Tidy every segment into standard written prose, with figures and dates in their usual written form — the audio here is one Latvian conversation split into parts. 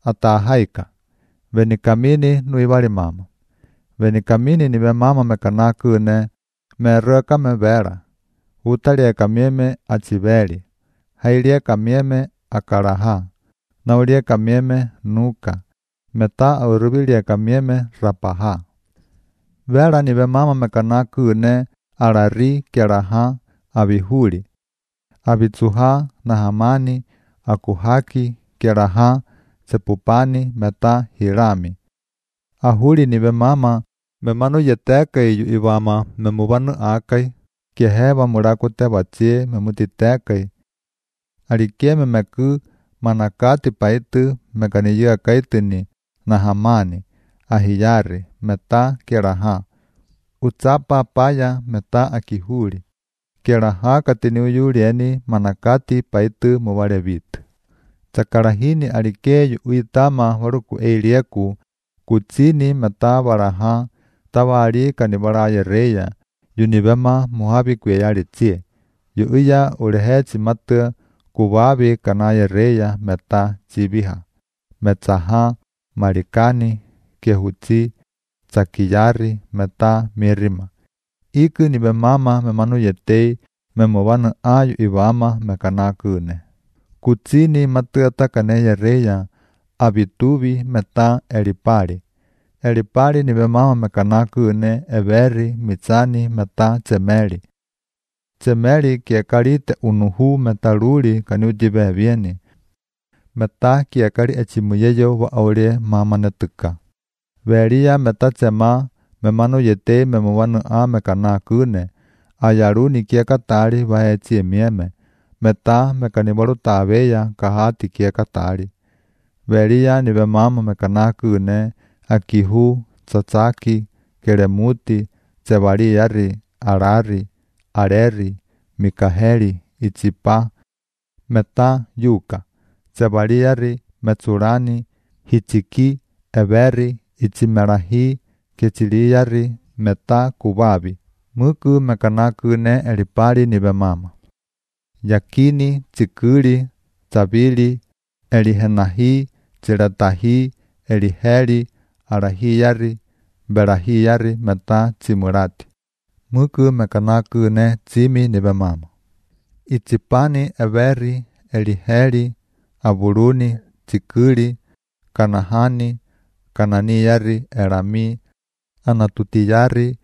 atahaika. Venikamini nuivali mama. Venikamini nive mama mekanakune mereka mevera. Utalieka mieme achiveli. Hailieka mieme akaraha. Naulieka mieme nuka. Meta auruvilieka mieme rapaha. Vera nive mama mekanakune arari keraha avihuli. Avitsuha nahamani akuhaki keraha sepupani meta hirami. Ahuli nive mama memanu yetekai ivama memuvanu akai keheva murakute vatie memutitekai. Alikie memeku manakati paitu mekaniyua kaitini nahamani ahiyari meta keraha. Utsapa paya meta akihuli. Keraha katiniuyulieni manakati paitu muvalevit. Tsakarahini alikeyu uitama waruku eilieku kutsini meta varaha tawali kanivaraye reya yunivema muhavi kuyayalitsie. Yuuya ulehetsi matu kuvavi kanaye reya meta chiviha. Metsaha marikani kehutsi tsakiyari meta mirima. Iku nive mama memanu yetei memuvanu ayu ivama mekanakune. Kutsini matuata kaneye reya avituvi meta elipali. Elipali nive mama mekanakune everi mitsani meta tsemeli. Tsemeli kiekalite unuhu metaluli kaniujive vieni. Meta kiekali echimuyeyo wa aulie mama netuka. Velia meta tsema memanu yetei memuvanu a mekanakune. Ayaruni kiekatali vahetsie mieme. Meta mekanivalu taveya kahati kiekatali. Velia nive mama mekanakune akihu, tsatsaki, keremuti, tsevaliyari, arari, areri, mikaheli, itsipa, meta yuka, tsevaliyari, metsurani, hichiki, everi, itsimerahi, kechiliyari, meta kuvavi. Muku mekanakune elipali nive mama. Yakini, tsikuli, tsavili, elihenahi, tsilatahi, eliheli, arahiyari, berahiyari meta tsimurati. Muku mekanakune tsimi nive mama. Itsipani everi, eliheli, avuluni, tsikuli, kanahani, kananiyari, erami, anatutiyari,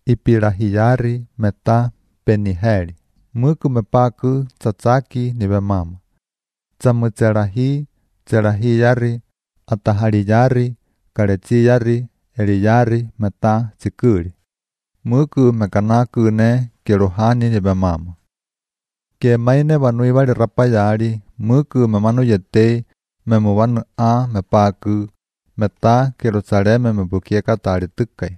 ipirahiyari meta peniheli. Muku mepaku tsatsaki nive mama. Tsamutserahi, tserahiyari, atahaliyari, karetsiyari, eliyari meta tsikuli. Muku mekanakune keruhani nive mama. Kemaine vanuivali rapayali, muku memanu yetei memuvanu a mepaku, meta Jerusaleme mebukiekatali tukai.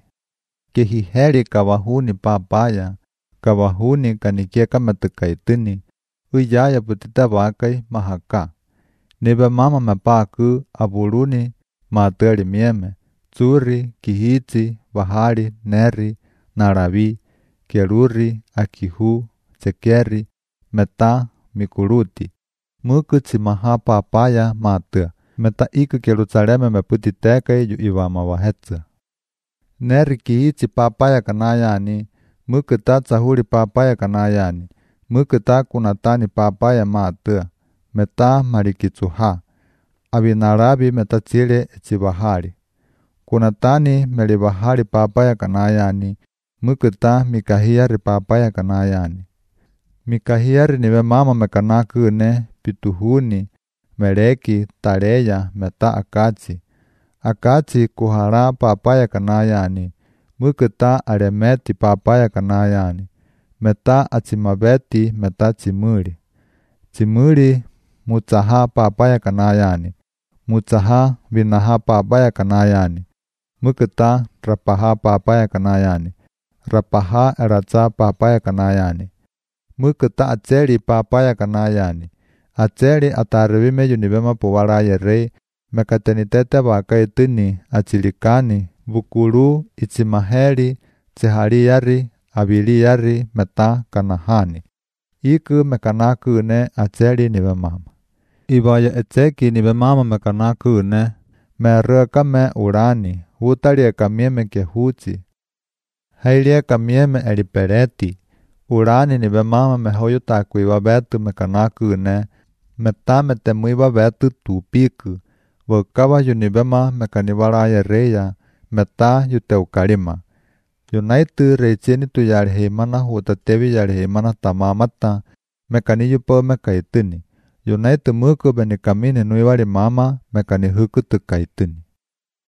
Kehiheli kavahuni papaya, kavahuni kanikieka metukaitini, uyaya putita vakai mahaka. Nive mama mepaku avuluni mateli mieme, tsuri, kihitsi, vahali, neri, naravi, keruri, akihu, tsekeri, meta, mikuluti. Muku tsimaha papaya matua, meta iku Jerusaleme meputitekai yu ivama vahetsa. Neri kihitsi papaya kanayani, muku ta tsahuli papaya kanayani, muku ta kunatani papaya matua, meta marikitsuha. Avinaravi meta tsile etsivahali. Kunatani melivahali papaya kanayani, muku ta mikahiyari papaya kanayani. Mikahiyari nive mama mekanakune pituhuni, meleki, tareya, meta akatsi. Akatsi kuhara papaya kanayani, muku ta alemeti papaya kanayani. Meta atsimaveti meta tsimuli. Tsimuli mutsaha papaya kanayani. Mutsaha vinaha papaya kanayani. Muku ta rapaha papaya kanayani. Rapaha eratsa papaya kanayani. Muku ta atseli papaya kanayani. Atseli atarivime yunivema puwalaye rei, mekatenitete vakaitini atsilikani, vukulu, itsimaheli, tsihaliyari, aviliyari, meta kanahani. Iku mekanakune atseli nive mama. Ibaya etseki ni bemama mekanakune, me reka me urani, utalie kamieme kehuchi. Heilie kamieme elipereti, urani ni bemama me hoyuta kuiva betu mekanakune, metame temuiva betu tupiku, vokava yunibema mekanivaraya reya, meta yuteukalima. Yunaitu reicheni tu yalihimana hutatevi yalihimana tamamata, mekani yupo mekaitini. Yunaitu muku benikamini nuivali mama, mekani huku tukaitini.